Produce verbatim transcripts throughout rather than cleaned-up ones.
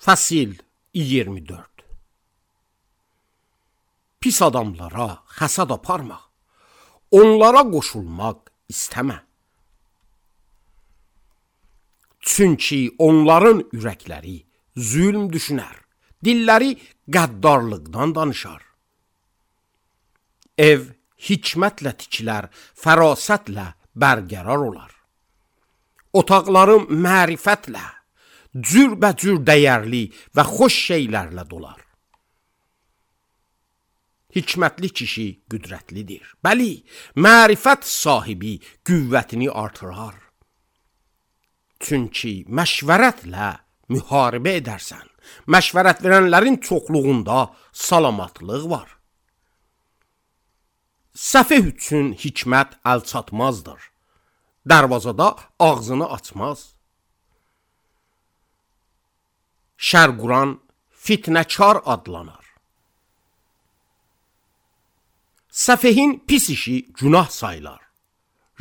Fəsil iyirmi dörd. Pis adamlara həsad aparma, onlara qoşulmaq istəmə. Çünki onların ürəkləri zülm düşünər, dilləri qəddarlıqdan danışar. Ev hikmətlə tikilər, fərasətlə bərqərar olar. Otaqları mərifətlə, cürbəcür dəyərli və xoş şeylərlə dolar. Hikmətli kişi qüdrətlidir. Bəli, mərifət sahibi qüvvətini artırar. Çünki məşvərətlə müharibə edərsən. Məşvərət verənlərin çoxluğunda salamatlıq var. Səfeh üçün hikmət əl çatmazdır. Dərvazada ağzını açmaz. Şər quran fitnəkar adlanar. Səfehin pis işi günah sayılar.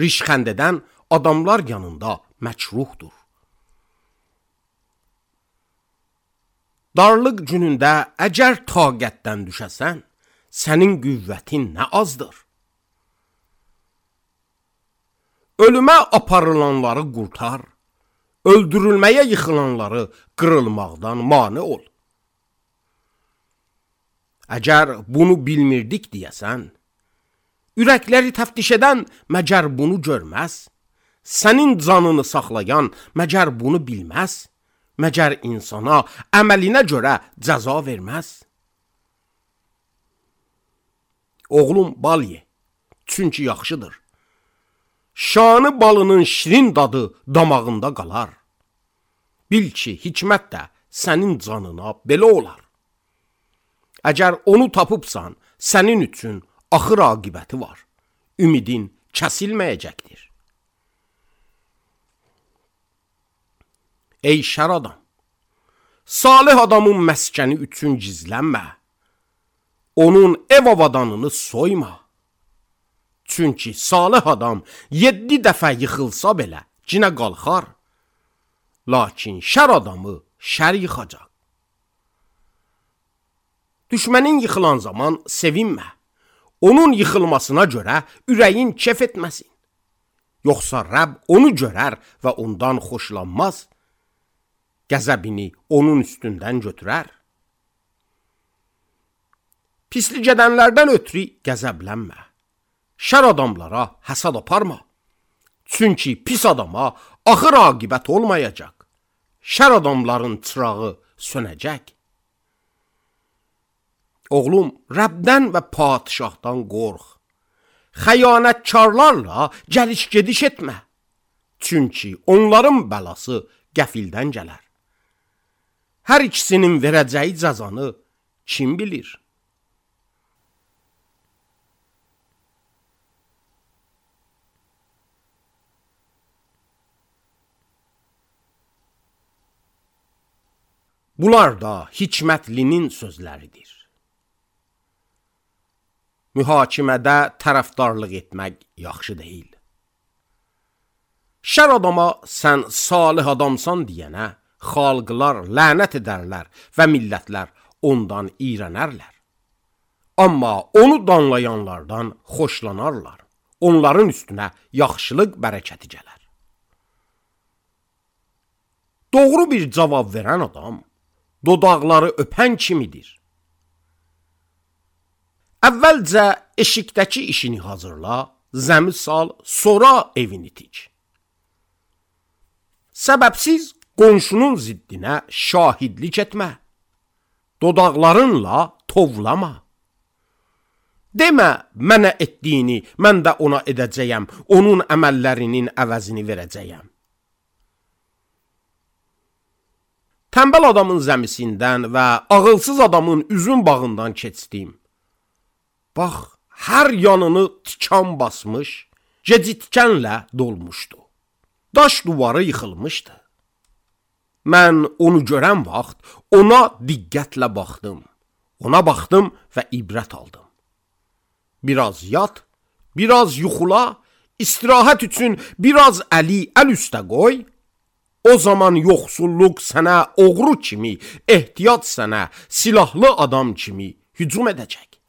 Rişxənd edən adamlar yanında məkruhdur. Darlıq günündə əgər taqətdən düşəsən, sənin qüvvətin nə azdır. Ölümə aparılanları qurtar, öldürülməyə yıxılanları qırılmaqdan mane ol. Əgər bunu bilmirdik deyəsən, ürəkləri təftiş edən məgər bunu görməz, sənin canını saxlayan məgər bunu bilməz, məgər insana əməlinə görə cəza verməz. Oğlum bal ye, çünki yaxşıdır. Şanı balının şirin dadı damağında qalar. Bil ki, hikmət də sənin canına belə olar. Əgər onu tapıbsan, sənin üçün axır aqibəti var. Ümidin kəsilməyəcəkdir. Ey şər adam, salih adamın məskəni üçün gizlənmə. Onun ev avadanını soyma. Çünki salih adam yeddi dəfə yıxılsa belə cinə qalxar. Lakin şər adamı şər yıxacaq. Düşmənin yıxılan zaman sevinmə. Onun yıxılmasına görə ürəyin kef etməsin. Yoxsa Rəbb onu görər və ondan xoşlanmaz. Qəzəbini onun üstündən götürər. Pislik edənlərdən ötürü qəzəblənmə. Şər adamlara həsad aparma. Çünki pis adama axır aqibət olmayacaq. Şər adamların çırağı sönəcək. Oğlum, Rəbdən və padişahdan qorx. Xəyanətkarlarla gəliş-gediş etmə. Çünki onların bəlası qəfildən gələr. Hər ikisinin verəcəyi cəzanı kim bilir? Bunlar da hikmətlinin sözləridir. Mühakimədə tərəfdarlıq etmək yaxşı deyil. Şər adama sən salih adamsan deyənə xalqlar lənət edərlər və millətlər ondan iyrənərlər. Amma onu danlayanlardan xoşlanarlar. Onların üstünə yaxşılıq bərəkəti gələr. Doğru bir cavab verən adam dodaqları öpən kimidir. Əvvəlcə eşikdəki işini hazırla, zəmi sal, sonra evini tik. Səbəbsiz qonşunun ziddinə şahidlik etmə. Dodaqlarınla tovlama. Demə, mənə etdiyini mən də ona edəcəyəm, onun əməllərinin əvəzini verəcəyəm. Tənbəl adamın zəmisindən və ağılsız adamın üzüm bağından keçdim. Bax, hər yanını tikan basmış, gecitkənlə dolmuşdu. Daş duvarı yıxılmışdı. Mən onu görən vaxt ona diqqətlə baxdım. Ona baxdım və ibrət aldım. Biraz yat, biraz yuxula, istirahət üçün biraz əli əl üstə qoy. O zaman yoxsulluq sənə oğru kimi, ehtiyat sənə silahlı adam kimi hücum edəcək.